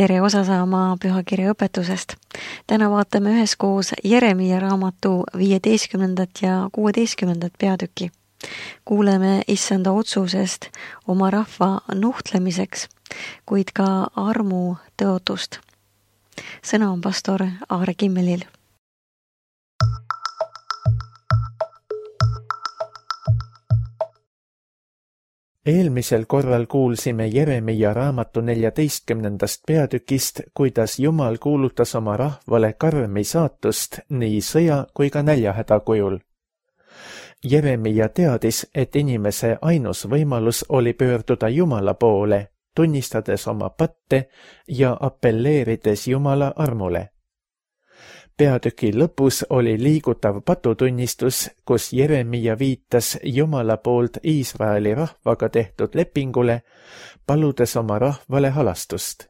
tere osa saama pühakirja õpetusest. Täna vaatame üheskoos Jeremia raamatu 15. ja 16. peatüki. Kuuleme issanda otsusest oma rahva nuhtlemiseks, kuid ka armu tõotust. Sõna on pastor Aare Kimmelil. Eelmisel korral kuulsime Jeremia raamatu 14. peatükist, kuidas Jumal kuulutas oma rahvale karmi saatust nii sõja kui ka näljahäda kujul. Jeremia teadis, et inimese ainus võimalus oli pöörduda Jumala poole, tunnistades oma patte ja apelleerides Jumala armule. Peatüki lõpus oli liigutav patutunnistus, kus Jeremia viitas Jumala poolt Iisraeli rahvaga tehtud lepingule, paludes oma rahvale halastust.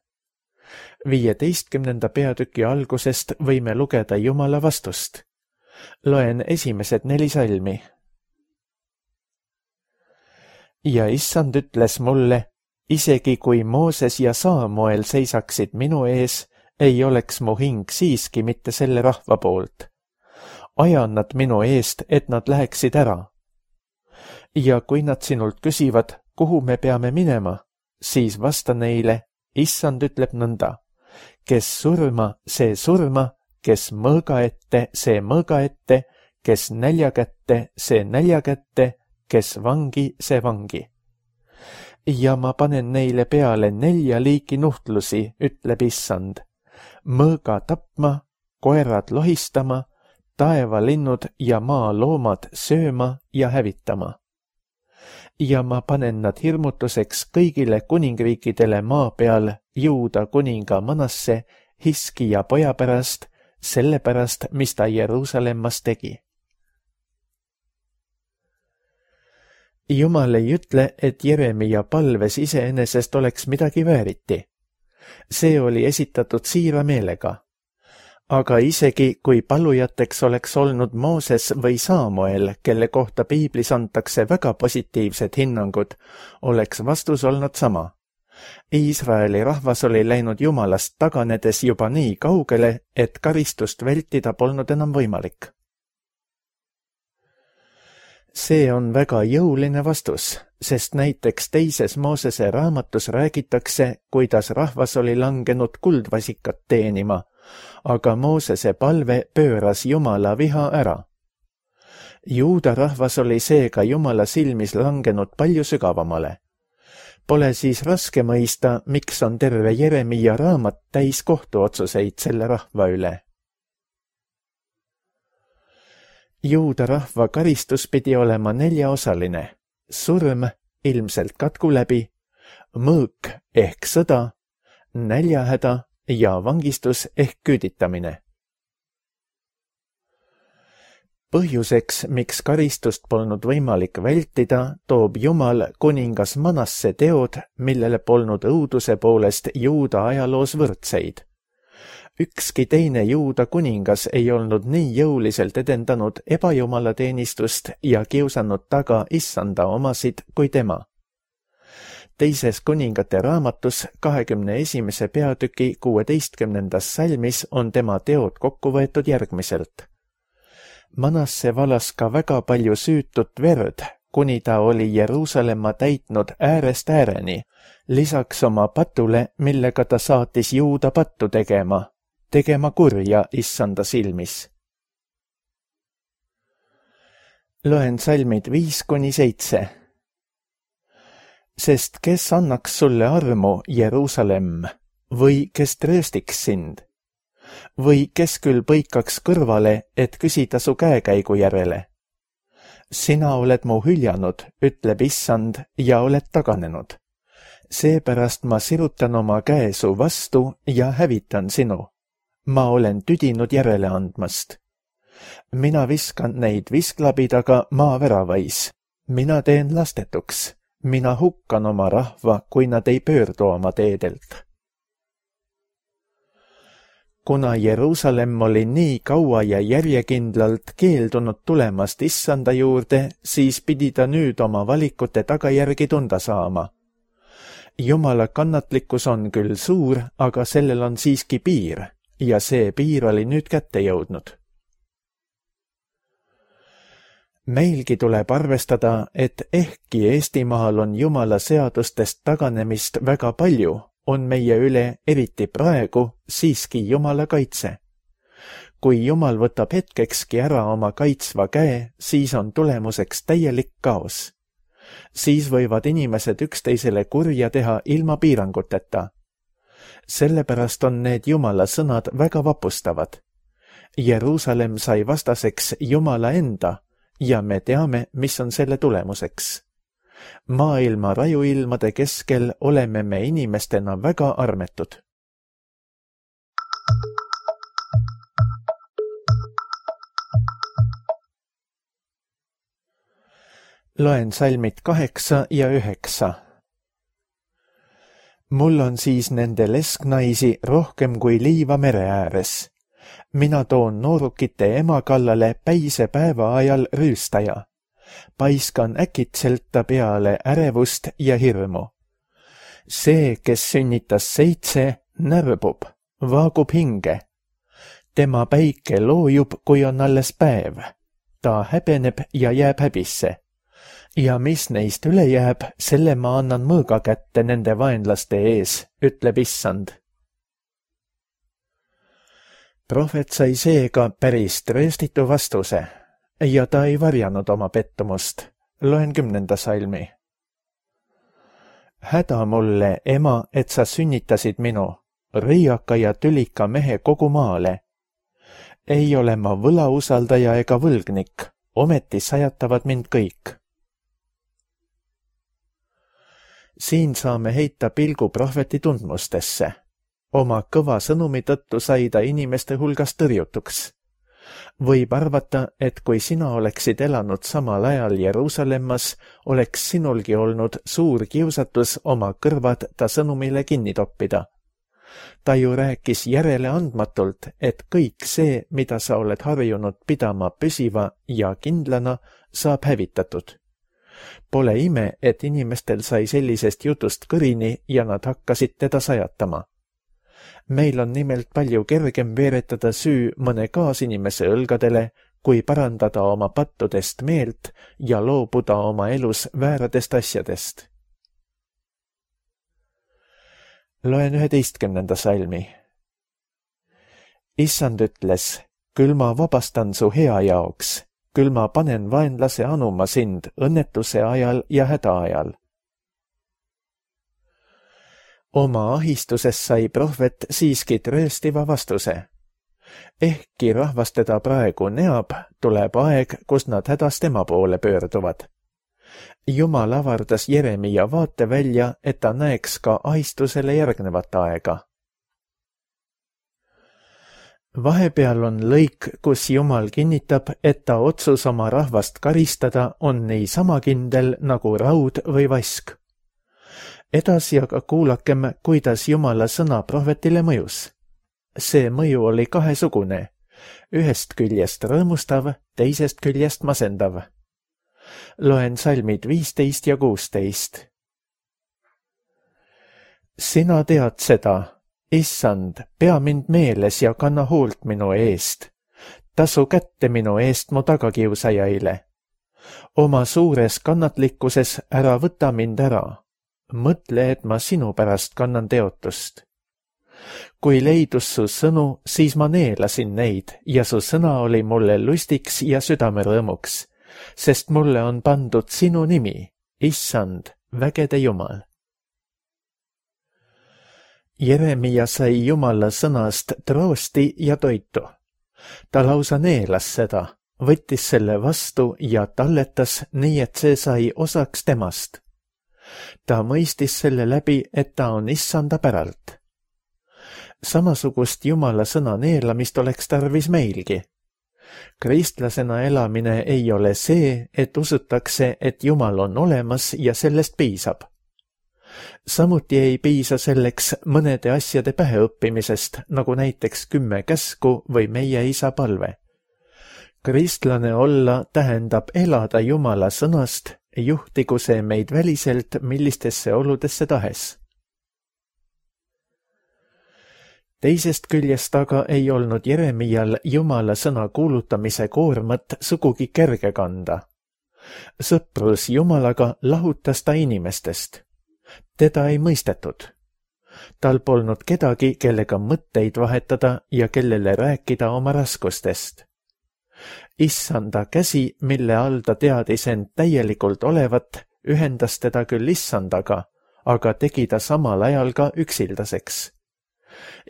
15. peatüki algusest võime lugeda Jumala vastust. Loen esimesed 4 salmi. Ja issand ütles mulle, isegi kui Mooses ja Saamuel seisaksid minu ees, ei oleks mu hing siiski mitte selle rahva poolt. Ajan nad minu eest, et nad läheksid ära. Ja kui nad sinult küsivad, kuhu me peame minema, siis vasta neile, issand ütleb nõnda. Kes surma, see surma, kes mõõga ette, see mõõga ette, kes nälja kätte, see nälja kätte, kes vangi, see vangi. Ja ma panen neile peale 4 liiki nuhtlusi, ütleb issand. Mõõga tapma, koerad lohistama, taevalinnud ja maaloomad sööma ja hävitama. Ja ma panen nad hirmutuseks kõigile kuningriikidele maa peal, Juuda kuninga Manasse, Hiskija poja pärast, selle pärast, mis ta Jeruusalemmas tegi. Jumal ei ütle, et Jeremia palves iseenesest oleks midagi vääriti. See oli esitatud siira meelega. Aga isegi kui palujateks oleks olnud Mooses või Saamuel, kelle kohta piiblis antakse väga positiivsed hinnangud, oleks vastus olnud sama. Iisraeli rahvas oli läinud Jumalast taganedes juba nii kaugele, et karistust vältida polnud enam võimalik. See on väga jõuline vastus, sest näiteks 2. Moosese raamatus räägitakse, kuidas rahvas oli langenud kuldvasikat teenima, aga Moosese palve pööras Jumala viha ära. Juuda rahvas oli seega Jumala silmis langenud palju sügavamale. Pole siis raske mõista, miks on terve Jeremia raamat täis kohtuotsuseid selle rahva üle. Juuda rahva karistus pidi olema 4-osaline. Surm, ilmselt katku läbi, mõõk ehk sõda, näljahäda ja vangistus ehk küüditamine. Põhjuseks, miks karistust polnud võimalik vältida, toob Jumal kuningas Manasse teod, millele polnud õuduse poolest Juuda ajaloos võrdseid. Ükski teine Juuda kuningas ei olnud nii jõuliselt edendanud ebajumalateenistust ja kiusanud taga issanda omasid kui tema. 2. kuningate raamatus 21. peatüki 16. salmis on tema teod kokku võetud järgmiselt. Manasse valas ka väga palju süütut verd, kuni ta oli Jeruusalemma täitnud äärest ääreni, lisaks oma patule, millega ta saatis Juuda pattu tegema kurja issanda silmis. Loen salmid 5-7. Sest kes annaks sulle armu, Jeruusalemm, või kes trööstiks sind? Või kes küll põikaks kõrvale, et küsida su käekäigu järele? Sina oled mu hüljanud, ütleb issand, ja oled taganenud. Seepärast ma sirutan oma käe su vastu ja hävitan sinu. Ma olen tüdinud järele andmast. Mina viskan neid visklabidaga maaväravais. Mina teen lastetuks. Mina hukkan oma rahva, kui nad ei pöördu oma teedelt. Kuna Jeruusalemm oli nii kaua ja järjekindlalt keeldunud tulemast issanda juurde, siis pidi ta nüüd oma valikute tagajärgi tunda saama. Jumala kannatlikkus on küll suur, aga sellel on siiski piir ja see piir oli nüüd kätte jõudnud. Meilgi tuleb arvestada, et ehkki Eestimaal on Jumala seadustest taganemist väga palju, on meie üle, eriti praegu, siiski Jumala kaitse. Kui Jumal võtab hetkekski ära oma kaitsva käe, siis on tulemuseks täielik kaos. Siis võivad inimesed üksteisele kurja teha ilma piiranguteta. Sellepärast on need Jumala sõnad väga vapustavad. Jeruusalemm sai vastaseks Jumala enda ja me teame, mis on selle tulemuseks. Maailma rajuilmade keskel oleme me inimestena väga armetud. Loen salmid 8 ja 9. Mul on siis nende lesknaisi rohkem kui liiva mere ääres. Mina toon noorukite ema kallale päise päeva ajal rüüstaja. Paiskan äkitselt ta peale ärevust ja hirmu. See, kes sünnitas 7, närbub, vaagub hinge. Tema päike loojub, kui on alles päev. Ta häbeneb ja jääb häbisse. Ja mis neist üle jääb, selle ma annan mõõga kätte nende vaenlaste ees, ütleb Issand. Prohvet sai seega päris trööstitu vastuse ja ta ei varjanud oma pettumust. Loen 10. salmi. Häda mulle, ema, et sa sünnitasid minu, riiaka ja tülika mehe kogu maale. Ei ole ma võlausaldaja ega võlgnik, ometi sajatavad mind kõik. Siin saame heita pilgu prohveti tundmustesse. Oma kõva sõnumi tõttu sai ta inimeste hulgas tõrjutuks. Võib arvata, et kui sina oleksid elanud samal ajal Jeruusalemmas, oleks sinulgi olnud suur kiusatus oma kõrvad ta sõnumile kinni toppida. Ta ju rääkis järeleandmatult, et kõik see, mida sa oled harjunud pidama püsiva ja kindlana, saab hävitatud. Pole ime, et inimestel sai sellisest jutust kõrini ja nad hakkasid teda sajatama. Meil on nimelt palju kergem veeretada süü mõne kaasinimese õlgadele, kui parandada oma pattudest meelt ja loobuda oma elus vääradest asjadest. Loen 11. salmi. Issand ütles, küll ma vabastan su hea jaoks, küll ma panen vaenlase anuma sind õnnetuse ajal ja häda ajal. Oma ahistuses sai prohvet siiski trööstiva vastuse. Ehkki rahvas teda praegu neab, tuleb aeg, kus nad hädas tema poole pöörduvad. Jumal avardas Jeremia vaate välja, et ta näeks ka ahistusele järgnevat aega. Vahepeal on lõik, kus Jumal kinnitab, et ta otsus oma rahvast karistada on nii sama kindel nagu raud või vask. Edasi aga kuulakem, kuidas Jumala sõna prohvetile mõjus. See mõju oli kahesugune, ühest küljest rõõmustav, teisest küljest masendav. Loen salmid 15 ja 16. Sina tead seda, Issand, pea mind meeles ja kanna hoolt minu eest. Tasu kätte minu eest mu tagakiusajaile. Oma suures kannatlikkuses ära võta mind ära. Mõtle, et ma sinu pärast kannan teotust. Kui leidus su sõnu, siis ma neelasin neid ja su sõna oli mulle lustiks ja südamerõõmuks, sest mulle on pandud sinu nimi, Issand, vägede Jumal. Jeremia sai Jumala sõnast troosti ja toitu. Ta lausa neelas seda, võttis selle vastu ja talletas nii, et see sai osaks temast. Ta mõistis selle läbi, et ta on Issanda päralt. Samasugust Jumala sõna neelamist oleks tarvis meilgi. Kristlasena elamine ei ole see, et usutakse, et Jumal on olemas ja sellest piisab. Samuti ei piisa selleks mõnede asjade päheõppimisest, nagu näiteks 10 käsku või meie isa palve. Kristlane olla tähendab elada Jumala sõnast, juhtigu see meid väliselt millistesse oludesse tahes. Teisest küljest aga ei olnud Jeremial Jumala sõna kuulutamise koormat sugugi kerge kanda. Sõprus Jumalaga lahutas ta inimestest. Teda ei mõistetud. Tal polnud kedagi, kellega mõtteid vahetada ja kellele rääkida oma raskustest. Issanda käsi, mille all ta teadis end täielikult olevat, ühendas teda küll issandaga, aga tegi ta samal ajal ka üksildaseks.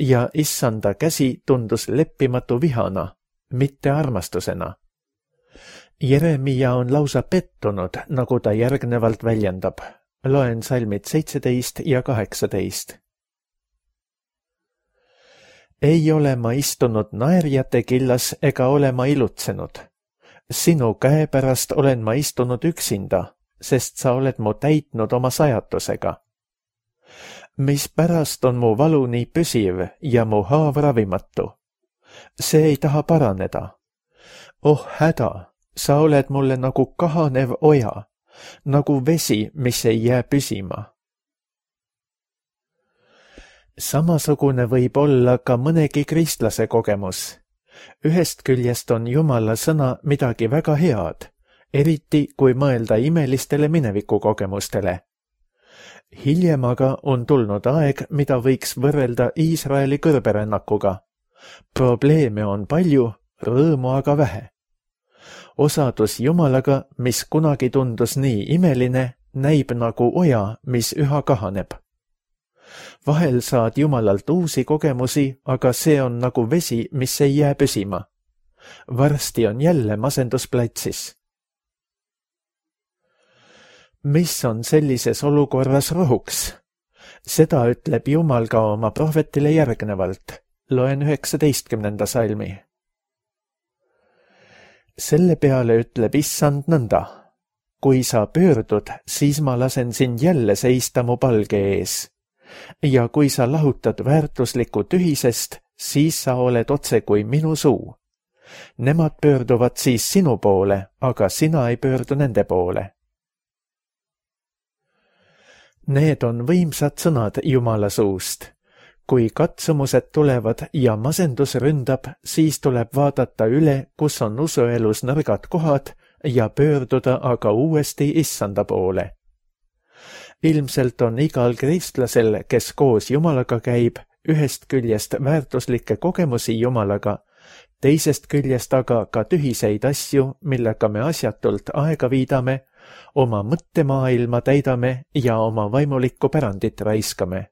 Ja issanda käsi tundus leppimatu vihana, mitte armastusena. Jeremia on lausa pettunud, nagu ta järgnevalt väljendab. Loen salmid 17 ja 18. Ei ole ma istunud naerjate killas ega ole ma ilutsenud. Sinu käe pärast olen ma istunud üksinda, sest sa oled mu täitnud oma sajatusega. Mispärast on mu valu nii püsiv ja mu haav ravimatu? See ei taha paraneda. Oh häda, sa oled mulle nagu kahanev oja, nagu vesi, mis ei jää püsima. Samasugune võib olla ka mõnegi kristlase kogemus. Ühest küljest on Jumala sõna midagi väga head, eriti kui mõelda imelistele minevikukogemustele. Hiljem aga on tulnud aeg, mida võiks võrrelda Iisraeli kõrberännakuga. Probleeme on palju, rõõmu aga vähe. Osadus Jumalaga, mis kunagi tundus nii imeline, näib nagu oja, mis üha kahaneb. Vahel saad Jumalalt uusi kogemusi, aga see on nagu vesi, mis ei jää püsima. Varsti on jälle masendusplatsis. Mis on sellises olukorras rohuks? Seda ütleb Jumal ka oma prohvetile järgnevalt. Loen 19. salmi. Selle peale ütleb issand nõnda. Kui sa pöördud, siis ma lasen sind jälle seista mu palge ees. Ja kui sa lahutad väärtuslikku tühisest, siis sa oled otse kui minu suu. Nemad pöörduvad siis sinu poole, aga sina ei pöördu nende poole. Need on võimsad sõnad Jumala suust. Kui katsumused tulevad ja masendus ründab, siis tuleb vaadata üle, kus on usuelus nõrgad kohad ja pöörduda aga uuesti issanda poole. Ilmselt on igal kristlasel, kes koos Jumalaga käib, ühest küljest väärtuslikke kogemusi Jumalaga, teisest küljest aga ka tühiseid asju, millega me asjatult aega viidame, oma mõttemaailma täidame ja oma vaimulikku pärandit raiskame.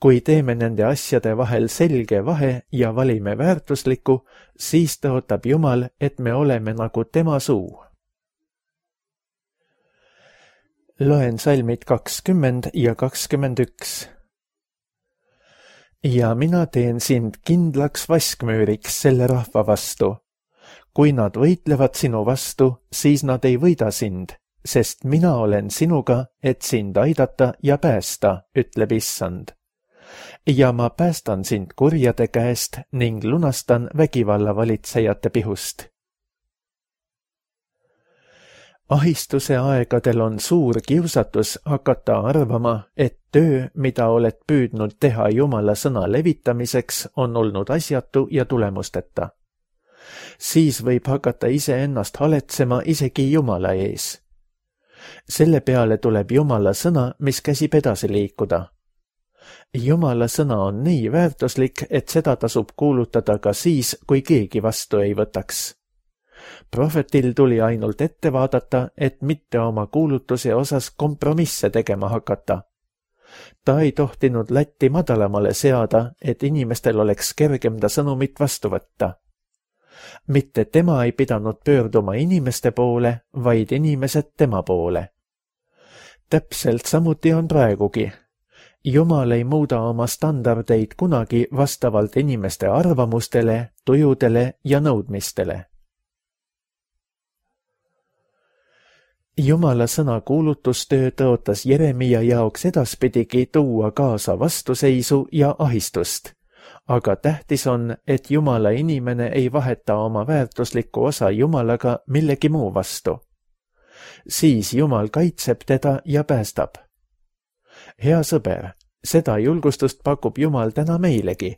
Kui teeme nende asjade vahel selge vahe ja valime väärtuslikku, siis tõotab Jumal, et me oleme nagu tema suu. Loen salmid 20 ja 21. Ja mina teen sind kindlaks vaskmüüriks selle rahva vastu. Kui nad võitlevad sinu vastu, siis nad ei võida sind, sest mina olen sinuga, et sind aidata ja päästa, ütleb issand. Ja ma päästan sind kurjade käest ning lunastan vägivallavalitsejate pihust. Ahistuse aegadel on suur kiusatus hakata arvama, et töö, mida oled püüdnud teha Jumala sõna levitamiseks, on olnud asjatu ja tulemusteta. Siis võib hakata iseennast haletsema isegi Jumala ees. Selle peale tuleb Jumala sõna, mis käsib edasi liikuda. Jumala sõna on nii väärtuslik, et seda tasub kuulutada ka siis, kui keegi vastu ei võtaks. Prohvetil tuli ainult ette vaadata, et mitte oma kuulutuse osas kompromisse tegema hakata. Ta ei tohtinud latti madalamale seada, et inimestel oleks kergem ta sõnumit vastu võtta. Mitte tema ei pidanud pöörduma inimeste poole, vaid inimesed tema poole. Täpselt samuti on praegugi. Jumal ei muuda oma standardeid kunagi vastavalt inimeste arvamustele, tujudele ja nõudmistele. Jumala sõna kuulutustöö tõotas Jeremia jaoks edaspidigi tuua kaasa vastuseisu ja ahistust, aga tähtis on, et Jumala inimene ei vaheta oma väärtuslikku osa Jumalaga millegi muu vastu. Siis Jumal kaitseb teda ja päästab. Hea sõber, Seda julgustust pakub Jumal täna meilegi.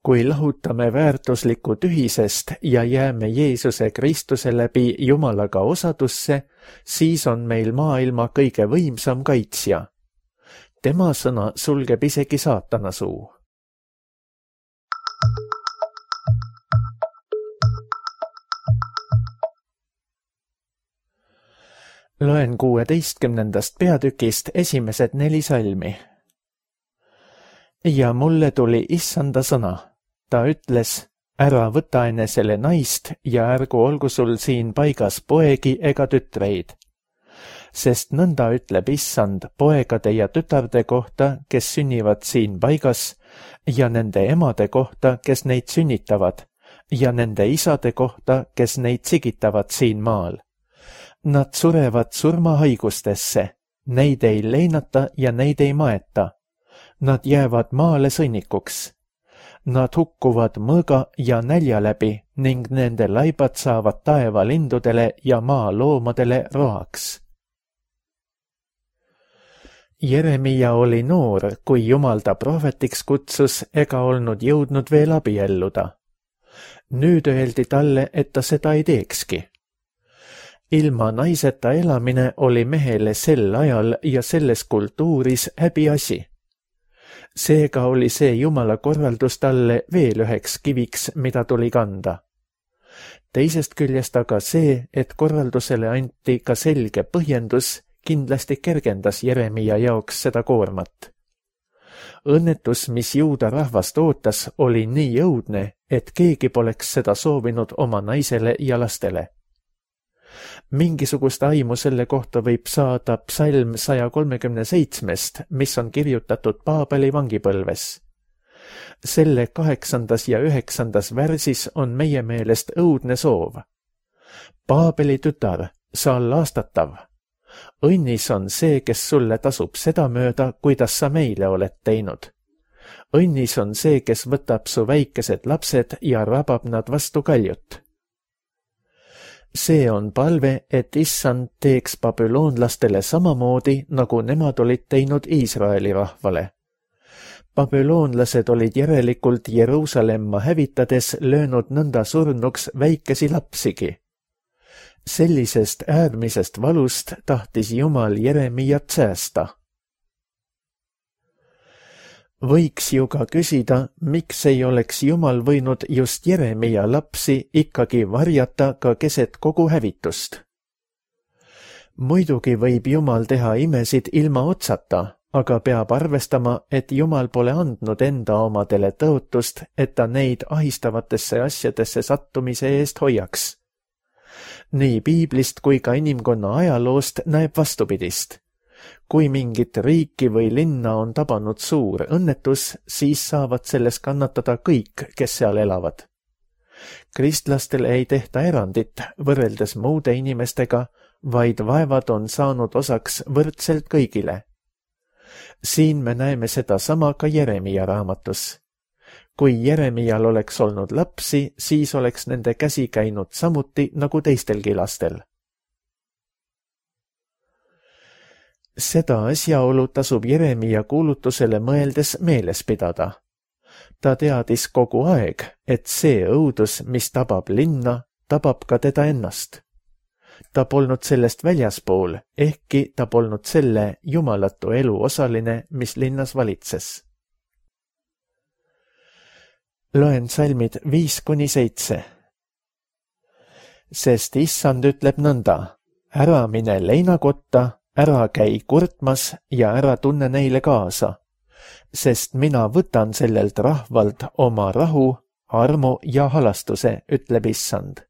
Kui lahutame väärtuslikku tühisest ja jääme Jeesuse Kristuse läbi Jumalaga osadusse, siis on meil maailma kõige võimsam kaitsja. Tema sõna sulgeb isegi saatana suu. Loen 16. peatükist esimesed 4 salmi. Ja mulle tuli issanda sõna. Ta ütles, ära võta enesele naist ja ärgu olgu sul siin paigas poegi ega tütreid. Sest nõnda ütleb issand poegade ja tütarde kohta, kes sünnivad siin paigas, ja nende emade kohta, kes neid sünnitavad, ja nende isade kohta, kes neid sigitavad siin maal. Nad surevad surmahaigustesse, neid ei leinata ja neid ei maeta. Nad jäävad maale sõnnikuks. Nad hukkuvad mõõga ja nälja läbi ning nende laibad saavad taevalindudele ja maa loomadele roaks. Jeremia oli noor, kui Jumal ta prohvetiks kutsus ega olnud jõudnud veel abielluda. Nüüd öeldi talle, et ta seda ei teekski. Ilma naiseta elamine oli mehele sel ajal ja selles kultuuris häbiasi. Seega oli see Jumala korraldus talle veel üheks kiviks, mida tuli kanda. Teisest küljest aga see, et korraldusele anti ka selge põhjendus, kindlasti kergendas Jeremia jaoks seda koormat. Õnnetus, mis juuda rahvast ootas, oli nii õudne, et keegi poleks seda soovinud oma naisele ja lastele. Mingisugust aimu selle kohta võib saada psalm 137, mis on kirjutatud Paabeli vangipõlves. Selle 8. ja 9. värsis on meie meelest õudne soov. Paabeli tütar, sa laastatav. Õnnis on see, kes sulle tasub sedamööda, kuidas sa meile oled teinud. Õnnis on see, kes võtab su väikesed lapsed ja rabab nad vastu kaljut. See on palve, et issand teeks babüloonlastele samamoodi, nagu nemad olid teinud Iisraeli rahvale. Babüloonlased olid järelikult Jeruusalemma hävitades löönud nõnda surnuks väikesi lapsigi. Sellisest äärmisest valust tahtis Jumal Jeremiat säästa. Võiks ju ka küsida, miks ei oleks Jumal võinud just Jeremia lapsi ikkagi varjata ka keset kogu hävitust. Muidugi võib Jumal teha imesid ilma otsata, aga peab arvestama, et Jumal pole andnud enda omadele tõotust, et ta neid ahistavatesse asjadesse sattumise eest hoiaks. Nii piiblist kui ka inimkonna ajaloost näeb vastupidist. Kui mingit riiki või linna on tabanud suur õnnetus, siis saavad selles kannatada kõik, kes seal elavad. Kristlastele ei tehta erandit võrreldes muude inimestega, vaid vaevad on saanud osaks võrdselt kõigile. Siin me näeme seda sama ka Jeremia raamatus. Kui Jeremial oleks olnud lapsi, siis oleks nende käsi käinud samuti nagu teistelgi lastel. Seda asjaolu tasub Jeremia kuulutusele mõeldes meeles pidada. Ta teadis kogu aeg, et see õudus, mis tabab linna, tabab ka teda ennast. Ta polnud sellest väljaspool, ehkki ta polnud selle jumalatu elu osaline, mis linnas valitses. Loen salmid 5-7. Sest issand ütleb nõnda, ära mine leinakotta, ära käi kurtmas ja ära tunne neile kaasa, sest mina võtan sellelt rahvalt oma rahu, armu ja halastuse, ütleb issand.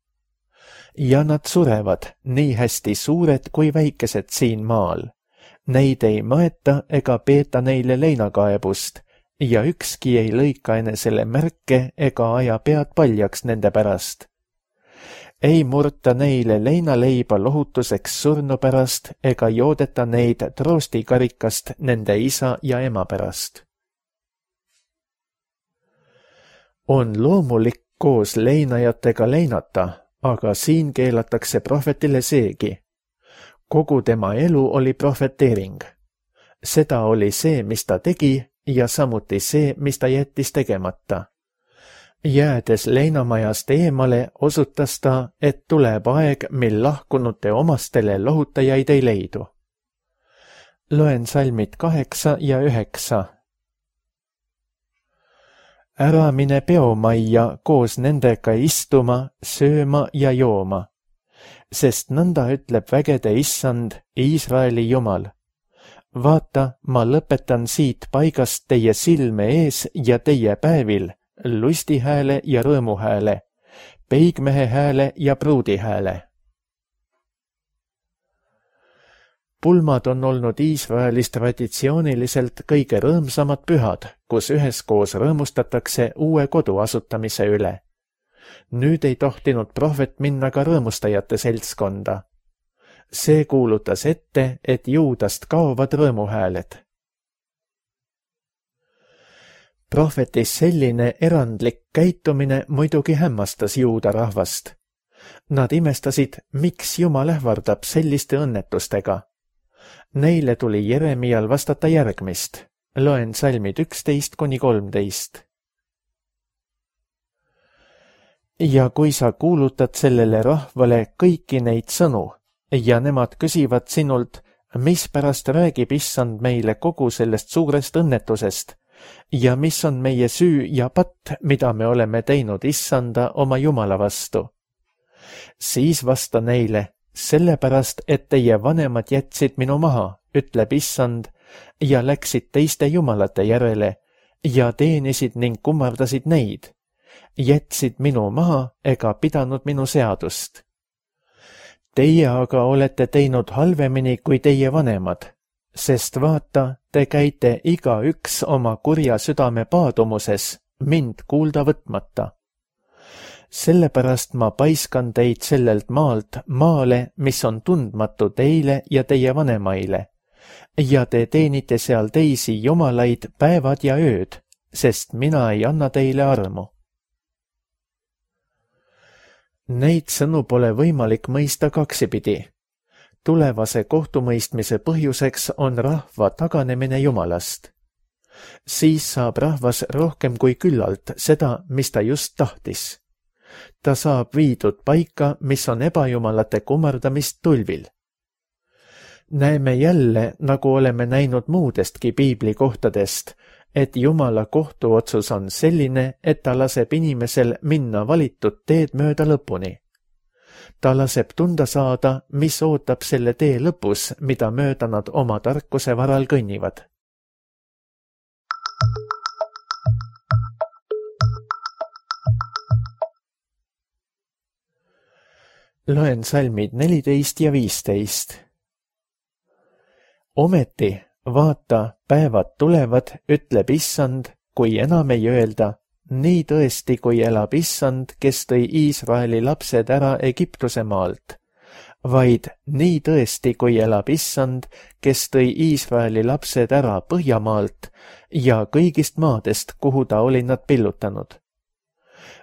Ja nad surevad, nii hästi suured kui väikesed siin maal. Neid ei maeta ega peeta neile leinakaebust ja ükski ei lõika enesele märke ega aja pead paljaks nende pärast. Ei murta neile leinaleiba lohutuseks surnu pärast ega joodeta neid troostikarikast nende isa ja ema pärast. On loomulik koos leinajatega leinata, aga siin keelatakse prohvetile seegi. Kogu tema elu oli prohveteering. Seda oli see, mis ta tegi ja samuti see, mis ta jättis tegemata. Jäädes leinamajast eemale, osutas ta, et tuleb aeg, mil lahkunute omastele lohutajaid ei leidu. Loen salmid 8 ja 9. Ära mine peomajja koos nendega istuma, sööma ja jooma, sest nõnda ütleb vägede issand, Iisraeli Jumal. Vaata, ma lõpetan siit paigast teie silme ees ja teie päevil lustihääle ja rõõmuhääle, peigmehe hääle ja pruudihääle. Pulmad on olnud Iisraelis traditsiooniliselt kõige rõõmsamad pühad, kus üheskoos rõõmustatakse uue kodu asutamise üle. Nüüd ei tohtinud prohvet minna ka rõõmustajate seltskonda. See kuulutas ette, et Juudast kaovad rõõmuhääled. Prohvetis selline erandlik käitumine muidugi hämmastas juuda rahvast. Nad imestasid, miks Jumal ähvardab selliste õnnetustega. Neile tuli Jeremial vastata järgmist. Loen salmid 11-13. Ja kui sa kuulutad sellele rahvale kõiki neid sõnu ja nemad küsivad sinult, mispärast räägib issand meile kogu sellest suurest õnnetusest ja mis on meie süü ja patt, mida me oleme teinud issanda oma Jumala vastu, siis vasta neile, sellepärast, et teie vanemad jätsid minu maha, ütleb issand, ja läksid teiste jumalate järele ja teenisid ning kummardasid neid, jätsid minu maha ega pidanud minu seadust. Teie aga olete teinud halvemini kui teie vanemad, sest vaata, te käite igaüks oma kurja südame paadumuses, mind kuulda võtmata. Sellepärast ma paiskan teid sellelt maalt maale, mis on tundmatu teile ja teie vanemaile, ja te teenite seal teisi jumalaid päevad ja ööd, sest mina ei anna teile armu. Neid sõnu pole võimalik mõista kaksipidi. Tulevase kohtumõistmise põhjuseks on rahva taganemine Jumalast. Siis saab rahvas rohkem kui küllalt seda, mis ta just tahtis. Ta saab viidud paika, mis on ebajumalate kummardamist tulvil. Näeme jälle, nagu oleme näinud muudestki piibli kohtadest, et Jumala kohtuotsus on selline, et ta laseb inimesel minna valitud teed mööda lõpuni. Ta laseb tunda saada, mis ootab selle tee lõpus, mida mööda nad oma tarkuse varal kõnnivad. Loen salmid 14 ja 15. Ometi, vaata, päevad tulevad, ütleb issand, kui enam ei öelda, nii tõesti, kui elab issand, kes tõi Iisraeli lapsed ära Egiptuse maalt, vaid nii tõesti, kui elab issand, kes tõi Iisraeli lapsed ära Põhjamaalt ja kõigist maadest, kuhu ta oli nad pillutanud.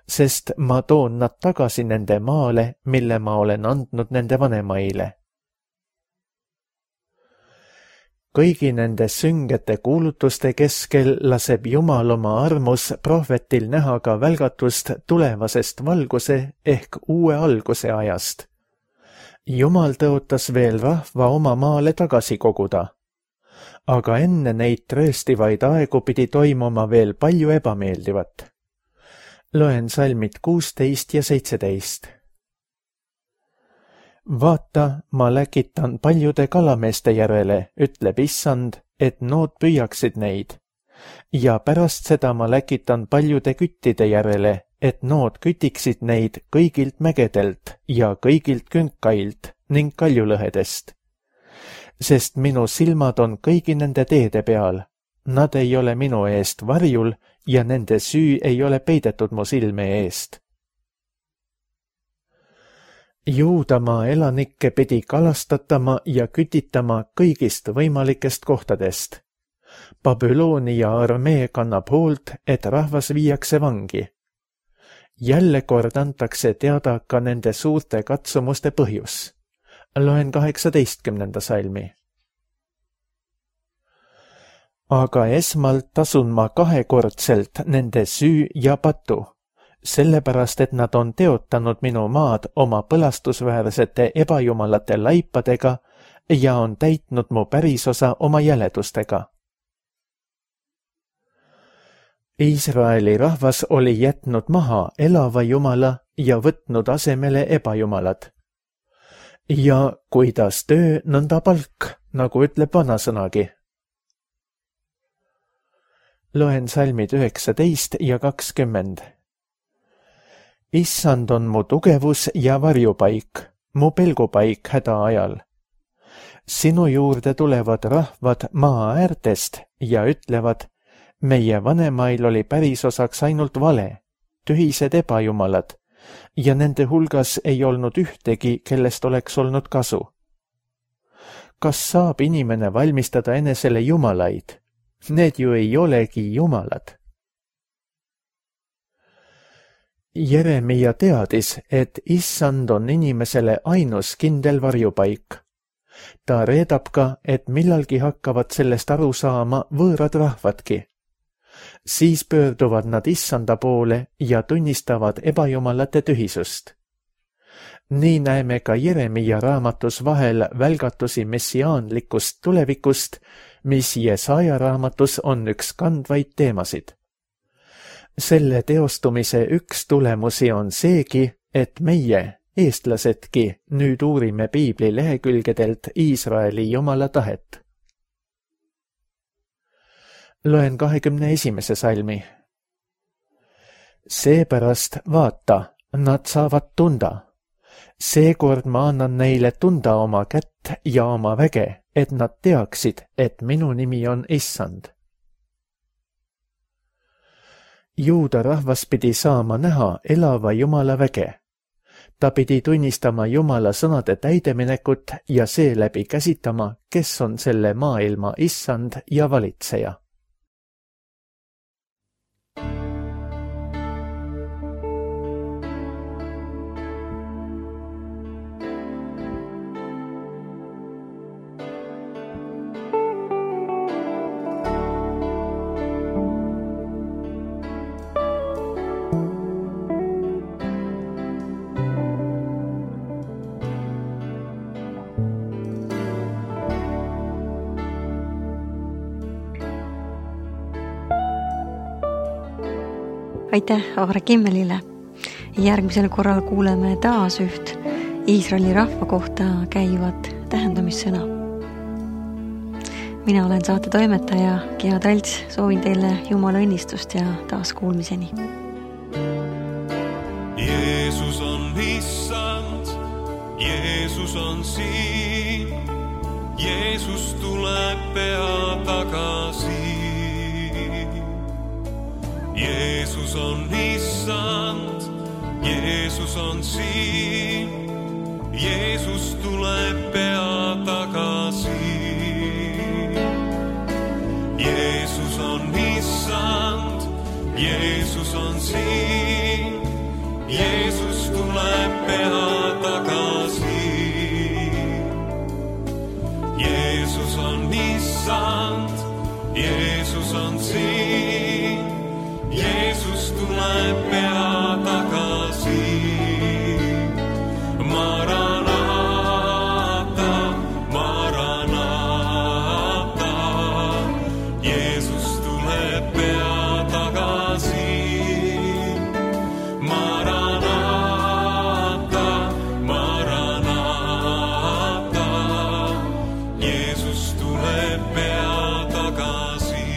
Sest ma toon nad tagasi nende maale, mille ma olen andnud nende vanemaile. Kõigi nende süngete kuulutuste keskel laseb Jumal oma armus prohvetil näha ka välgatust tulevasest valguse ehk uue alguse ajast. Jumal tõotas veel rahva oma maale tagasi koguda. Aga enne neid trööstivaid aegu pidi toimuma veel palju ebameeldivat. Loen salmid 16 ja 17. Vaata, ma läkitan paljude kalameeste järele, ütleb issand, et nood püüaksid neid. Ja pärast seda ma läkitan paljude küttide järele, et nood kütiksid neid kõigilt mägedelt ja kõigilt künkailt ning kaljulõhedest. Sest minu silmad on kõigi nende teede peal. Nad ei ole minu eest varjul ja nende süü ei ole peidetud mu silme eest. Juudamaa elanikke pidi kalastatama ja kütitama kõigist võimalikest kohtadest. Babyloonia armee kannab hoolt, et rahvas viiakse vangi. Jälle kord antakse teada ka nende suurte katsumuste põhjus. Loen 18. salmi. aga esmalt tasun ma 2-kordselt nende süü ja patu, sellepärast et nad on teotanud minu maad oma põlastusväärsete ebajumalate laipadega ja on täitnud mu pärisosa oma jäledustega. Iisraeli rahvas oli jätnud maha elava jumala ja võtnud asemele ebajumalad. Ja kuidas töö, nõnda palk, nagu ütleb vanasõnagi. Loen salmid 19 ja 20. Issand on mu tugevus ja varjupaik, mu pelgupaik häda ajal. Sinu juurde tulevad rahvad maa äärtest ja ütlevad, meie vanemail oli pärisosaks ainult vale, tühised ebajumalad, ja nende hulgas ei olnud ühtegi, kellest oleks olnud kasu. Kas saab inimene valmistada enesele jumalaid? Need ju ei olegi jumalad. Jeremia teadis, et issand on inimesele ainus kindel varjupaik. Ta reedab ka, et millalgi hakkavad sellest aru saama võõrad rahvadki. Siis pöörduvad nad issanda poole ja tunnistavad ebajumalate tühisust. Nii näeme ka Jeremia raamatus vahel välgatusi messiaanlikust tulevikust, mis Jesaja raamatus on üks kandvaid teemasid. Selle teostumise üks tulemusi on seegi, et meie, eestlasedki, nüüd uurime Piibli lehekülgedelt Iisraeli jumala tahet. Loen 21. salmi. Seepärast vaata, nad saavad tunda. Seekord ma annan neile tunda oma kätt ja oma väge, et nad teaksid, et minu nimi on issand. Juuda rahvas pidi saama näha elava Jumala väge. Ta pidi tunnistama Jumala sõnade täideminekut ja seeläbi käsitama, kes on selle maailma issand ja valitseja. Aitäh Aare Kimmelile. Järgmisel korral kuuleme taas üht Iisraeli rahva kohta käivat tähendamissõna. Mina olen saate toimetaja Gea Talts, soovin teile Jumala õnnistust ja taas kuulmiseni. Jeesus on issand, Jeesus on siin, Jeesus tuleb pea tagasi. Jeesus on issand, Jeesus on siin, Jeesus tuleb pea tagasi. Jeesus on issand, Jeesus on siin, Jeesus tuleb pea tagasi. Jeesus on issand, Jeesus on siin, Jeesus tuleb pea tagasi. Maranata, Maranata, Jeesus tuleb pea tagasi. Maranata, Maranata, Jeesus tuleb pea tagasi.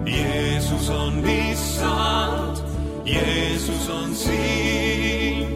Jeesus on issand, Jeesus on siin,